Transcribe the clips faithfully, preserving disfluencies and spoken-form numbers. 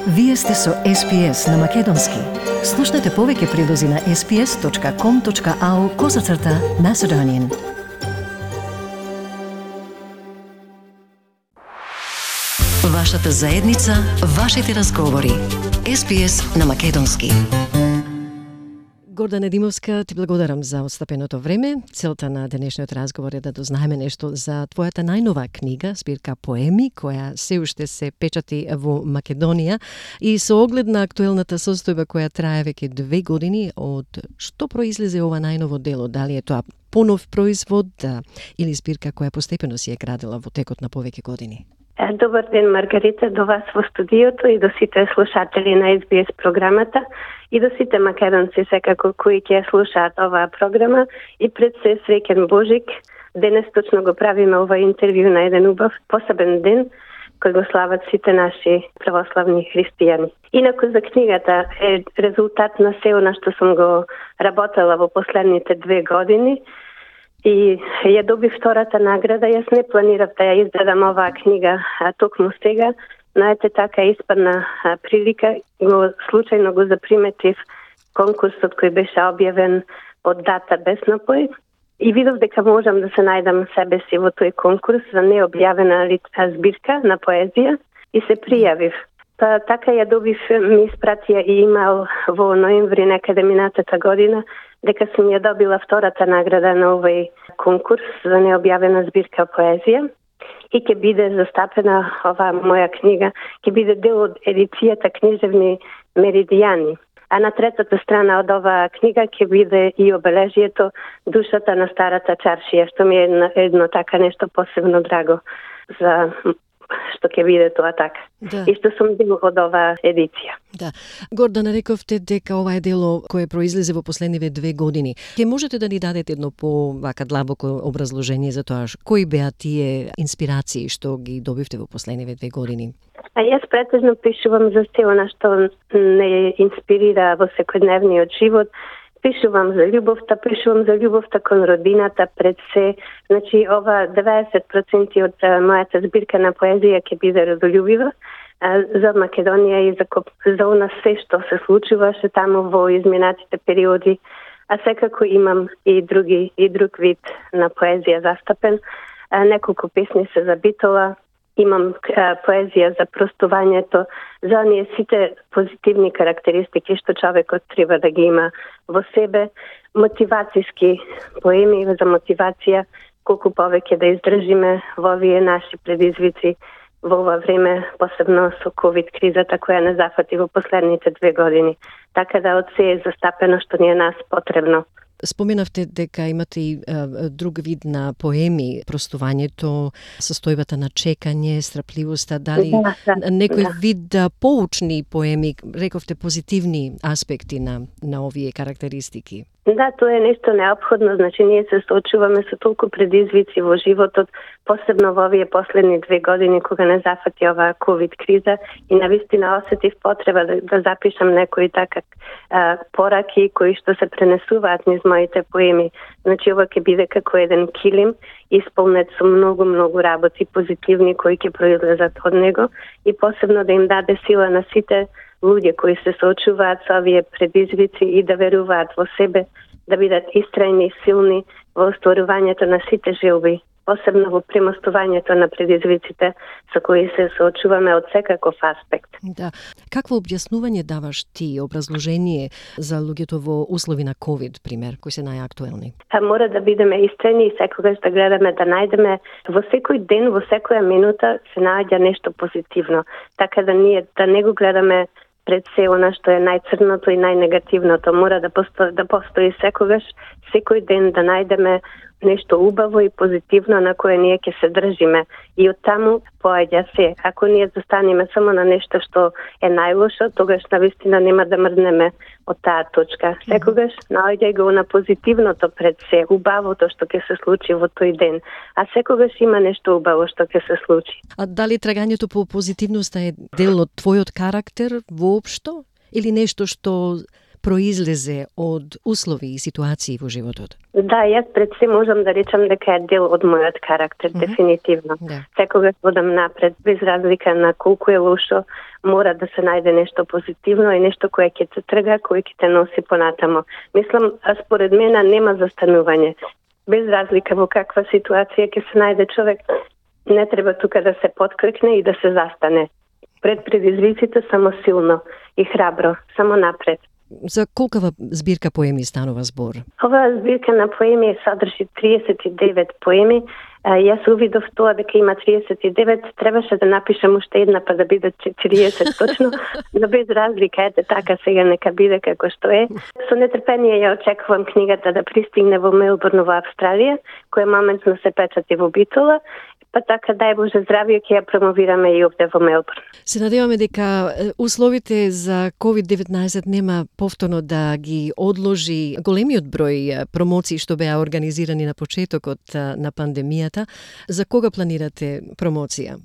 Вие сте со Ес Би Ес на Македонски. Слушнете повеќе прилози на ес би ес точка ком точка ау козацрта Macedonian. Вашата заедница, вашите разговори. Ес Би Ес на Македонски. Гордана Димовска, ти благодарам за отстапеното време. Целта на денешниот разговор е да дознаеме нешто за твојата најнова книга, збирка поеми, која се уште се печати во Македонија и со оглед на актуелната состојба која трае веќе две години, од што произлезе ова најново дело? Дали е тоа понов производ или збирка која постепено си е градила во текот на повеќе години? Добар ден, Маргарита, до вас во студиото и до сите слушатели на Ес Би Ес програмата и до сите македонци секако кои ќе слушаат оваа програма и пред се среќен Божик. Денес точно го правиме ова интервју на еден убав посебен ден кој го слават сите наши православни христијани. Инаку за книгата е резултат на се она што сум го работела во последните две години. И ја добив втората награда. Јас не планирав да ја издадам оваа книга а, токму сега, но ете така испадна а, прилика. Го случајно го заприметив конкурсот кој беше објавен од Дата без напој и видов дека можам да се најдам себе си во тој конкурс за необјавена збирка на поезија и се пријавив. Па така ја добив, ми испратија и имейл во ноември некаде минатата година дека сум ја добила втората награда на овој конкурс за необјавена збирка поезија и ќе биде застапена оваа моја книга, ќе биде дел од едицијата Книжевни меридијани. А на третата страна од оваа книга ќе биде и обележието Душата на старата чаршија, што ми е едно, едно така нешто посебно драго за што ќе биде тоа така. Да. И што сум дел од оваа едиција. Да. Гордана, рековте дека ова е дело кое произлезе во последниве две години. Ке можете да ни дадете едно по вака длабоко образложение за тоа кои беа тие инспирации што ги добивте во последниве две години? А јас претежно пишувам за се она што не инспирира во секојдневниот живот. Пишувам за љубовта, пишувам за љубовта кон родината пред се. Значи, ова деветдесет проценти од мојата збирка на поезија ќе биде родолюбива за Македонија и за, за она се што се случуваше таму во изминатите периоди. А секако имам и други и друг вид на поезија застапен. Неколку песни се за Битола. Имам а, поезија за простувањето, за оние сите позитивни карактеристики што човекот треба да ги има во себе, мотивацијски поеми за мотивација, колку повеќе да издржиме во овие наши предизвици во ова време, посебно со ковид кризата која не зафати во последните две години. Така да од се е застапено што ни е нас потребно. Споменавте дека имате и а, друг вид на поеми, простувањето, состојбата на чекање, страпливоста, дали да, да, некој да. вид да, поучни поеми, рековте позитивни аспекти на, на овие карактеристики? Да, тоа е нешто неопходно, значи ние се соочуваме со толку предизвици во животот, посебно во овие последни две години кога не зафати оваа ковид криза и навистина осетив потреба да, да запишам некои така а, пораки кои што се пренесуваат низ моите поеми. Значи ова ќе биде како еден килим исполнет со многу многу работи позитивни кои ќе произлезат од него и посебно да им даде сила на сите луѓе кои се соочуваат со овие предизвици и да веруваат во себе, да бидат истрајни и силни во остварувањето на сите желби, посебно во премостувањето на предизвиците со кои се соочуваме од секаков аспект. Да. Какво објаснување даваш ти, образложение за луѓето во услови на ковид, пример, кои се најактуелни? А мора да бидеме истрени и секогаш да гледаме да најдеме во секој ден, во секоја минута се наоѓа нешто позитивно, така да ние да не го гледаме пред се она што е најцрното и најнегативното. Мора да постои, да постои секогаш, секој ден да најдеме нешто убаво и позитивно на кое ние ќе се држиме. И од таму поаѓа се. Ако ние застанеме само на нешто што е најлошо, тогаш навистина нема да мрднеме од таа точка. Секогаш наоѓај го на позитивното пред се, убавото што ќе се случи во тој ден. А секогаш има нешто убаво што ќе се случи. А дали трагањето по позитивноста е дел од твојот карактер воопшто или нешто што произлезе од услови и ситуации во животот? Да, јас пред се можам да речам дека е дел од мојот карактер, mm-hmm. дефинитивно. Да. Секогаш водам напред, без разлика на колку е лошо, мора да се најде нешто позитивно и нешто кое ќе те трга, кое ќе те носи понатамо. Мислам, според мене нема застанување. Без разлика во каква ситуација ќе се најде човек, не треба тука да се подкрекне и да се застане. Пред предизвиците само силно и храбро, само напред. За колкава збирка поеми станува збор? Оваа збирка на поеми содржи триесет и девет поеми. А, јас увидов тоа дека има триесет и девет, требаше да напишам уште една па да бидат четириесет точно, но без разлика, ете така сега нека биде како што е. Со нетрпение ја очекувам книгата да пристигне во Мелбурн во Австралија, која моментно се печати во Битола, па така дај Боже здравје ќе ја промовираме и овде во Мелбурн. Се надеваме дека условите за ковид деветнаесет нема повторно да ги одложи големиот број промоции што беа организирани на почетокот на пандемијата. За кога планирате промоција?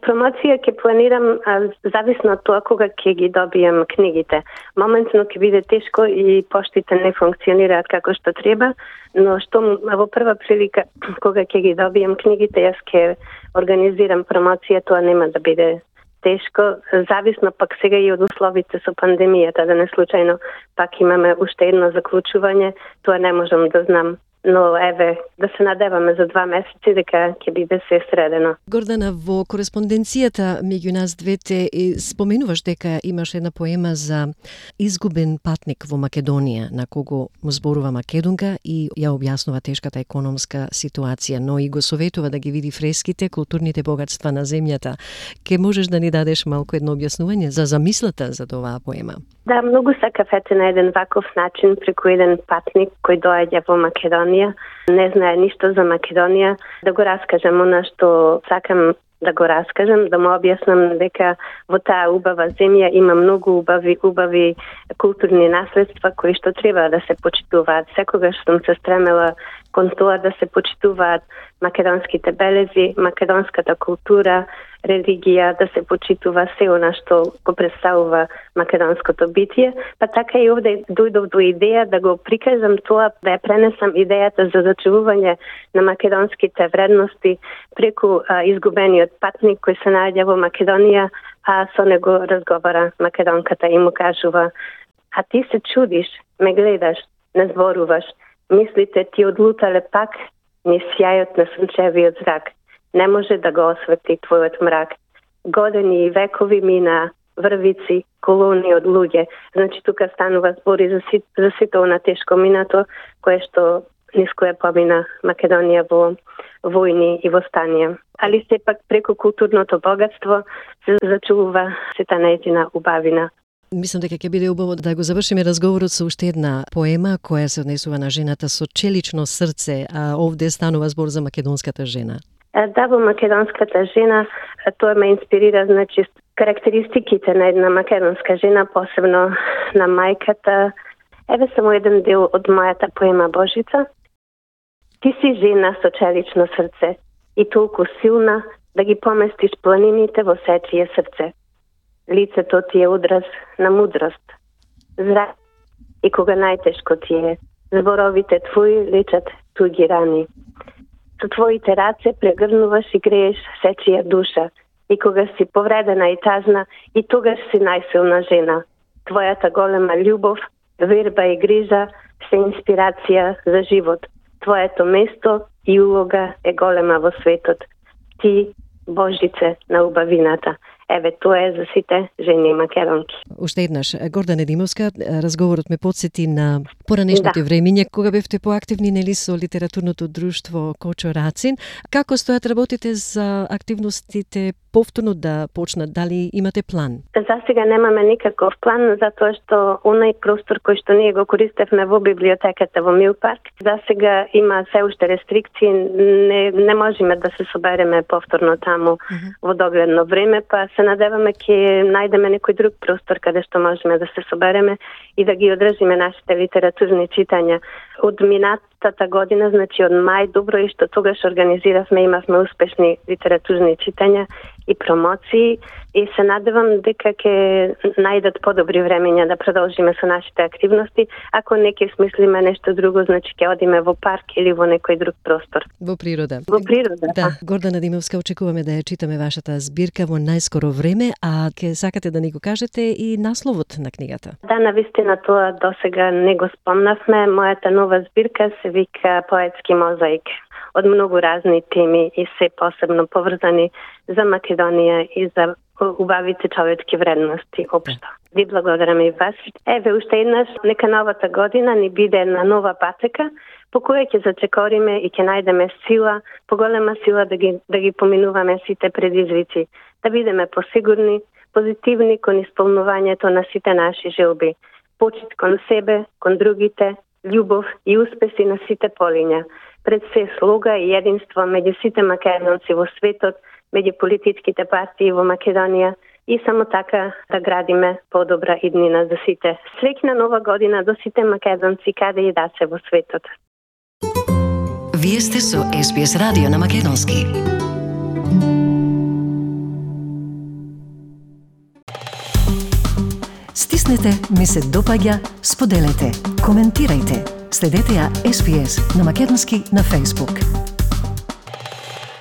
Промоција ќе планирам зависно од тоа кога ќе ги добијам книгите. Моментно ќе биде тешко и поштите не функционираат како што треба, но што во прва прилика кога ќе ги добијам книгите, јас ќе организирам промоција, тоа нема да биде тешко, зависно пак сега и од условите со пандемијата, да не случајно пак имаме уште едно заклучување, тоа не можам да знам. Но еве, да се надеваме за два месеци дека ќе биде се средено. Гордана, во кореспонденцијата меѓу нас двете споменуваш дека имаш една поема за изгубен патник во Македонија, на кого му зборува македонка и ја објаснува тешката економска ситуација, но и го советува да ги види фреските, културните богатства на земјата. Ке можеш да ни дадеш малку едно објаснување за замислата за оваа поема? Да, многу сакав ете на еден ваков начин преку еден патник кој доаѓа во Македонија, не знае ништо за Македонија, да го раскажам она што сакам да го раскажам, да му објаснам дека во таа убава земја има многу убави, убави културни наследства кои што треба да се почитуваат. Секогаш сум се стремела кон тоа да се почитуваат македонските белези, македонската култура, религија, да се почитува се она што го представува македонското битие, па така и овде дојдов до идеја да го прикажам тоа, да ја пренесам идејата за зачувување на македонските вредности преку а, изгубениот патник кој се наоѓа во Македонија, а со него разговара македонката и му кажува: а ти се чудиш, ме гледаш, не зборуваш, мислите ти одлутале пак низ сјајот на сончевиот зрак. Не може да го осветли твојот мрак. Години и векови мина, врвици, колони од луѓе. Значи тука станува збори за, си, за сите она тешко минато, кое што низ кое помина Македонија во војни и востанија. Али сепак преку културното богатство се зачува сета нејзина убавина. Мислам дека ќе биде убаво да го завршиме разговорот со уште една поема која се однесува на жената со челично срце, а овде станува збор за македонската жена. Да, во македонската жена, тоа ме инспирира, значи, карактеристиките на една македонска жена, посебно на мајката. Еве само еден дел од мојата поема Божица. Ти си жена со челично срце и толку силна да ги поместиш планините во сечие срце. Лицето ти е одраз на мудрост. Зрак и кога најтешко ти е, зборовите твои лечат туги рани. Со твоите раце прегрнуваш и грееш сечија душа. И кога си повредена и тажна, и тогаш си најсилна жена. Твојата голема љубов, верба и грижа се инспирација за живот. Твоето место и улога е голема во светот. Ти, Божице на убавината. Еве, тоа е за сите жени македонки. Уште еднаш, Гордана Димовска, разговорот ме подсети на поранешните да. времиња, кога бевте поактивни нели со литературното друштво Кочо Рацин. Како стојат работите за активностите повторно да почнат? Дали имате план? За сега немаме никаков план, затоа што онај простор кој што ние го користевме во библиотеката во Милпарк, за сега има се уште рестрикции, не, не можеме да се собереме повторно таму uh-huh. во догледно време, па се надеваме ќе најдеме некој друг простор каде што можеме да се собереме и да ги одржиме нашите литературни читања. Од минатата година, значи од мај, добро и што тогаш организиравме, имавме успешни литературни читања и промоции и се надевам дека ќе најдат подобри времења да продолжиме со нашите активности. Ако не ќе смислиме нешто друго, значи ќе одиме во парк или во некој друг простор. Во природа. Во природа, да. Гордана Димовска, очекуваме да ја читаме вашата збирка во најскоро време, а ќе сакате да ни го кажете и насловот на книгата. Да, навистина тоа досега не го спомнавме. Мојата нова збирка се вика Поетски мозаик. Од многу разни теми и се посебно поврзани за Македонија и за убавите човечки вредности општо. Ви благодарам и вас. Еве уште еднаш, нека новата година ни биде една нова патека по која ќе зачекориме и ќе најдеме сила, поголема сила да ги да ги поминуваме сите предизвици, да бидеме посигурни, позитивни кон исполнувањето на сите наши желби, почит кон себе, кон другите, љубов и успеси на сите полиња. Пред се слога и единство меѓу сите македонци во светот, меѓу политичките партии во Македонија и само така да градиме подобра иднина за сите. Среќна нова година до сите македонци каде и да се во светот. Вие сте со Ес Би Ес радио на македонски. Стиснете, ми се допаѓа, споделете, коментирајте. Следете ја Ес Би Ес на македонски на Facebook.